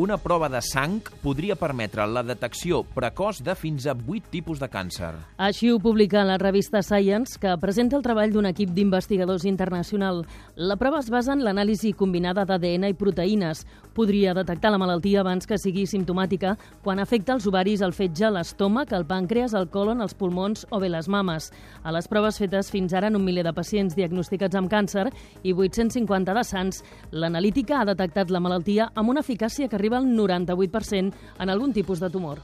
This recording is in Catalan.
Una prova de sang podria permetre la detecció precoç de fins a 8 tipus de càncer. Així ho publica la revista Science, que presenta el treball d'un equip d'investigadors internacional. La prova es basa en l'anàlisi combinada d'ADN i proteïnes. Podria detectar la malaltia abans que sigui simptomàtica quan afecta els ovaris, el fetge, l'estómac, el pàncreas, el còlon, els pulmons o bé les mames. A les proves fetes fins ara en 1 miler de pacients diagnosticats amb càncer i 850 de sants, l'analítica ha detectat la malaltia amb una eficàcia que arriba al 98% en algun tipus de tumor.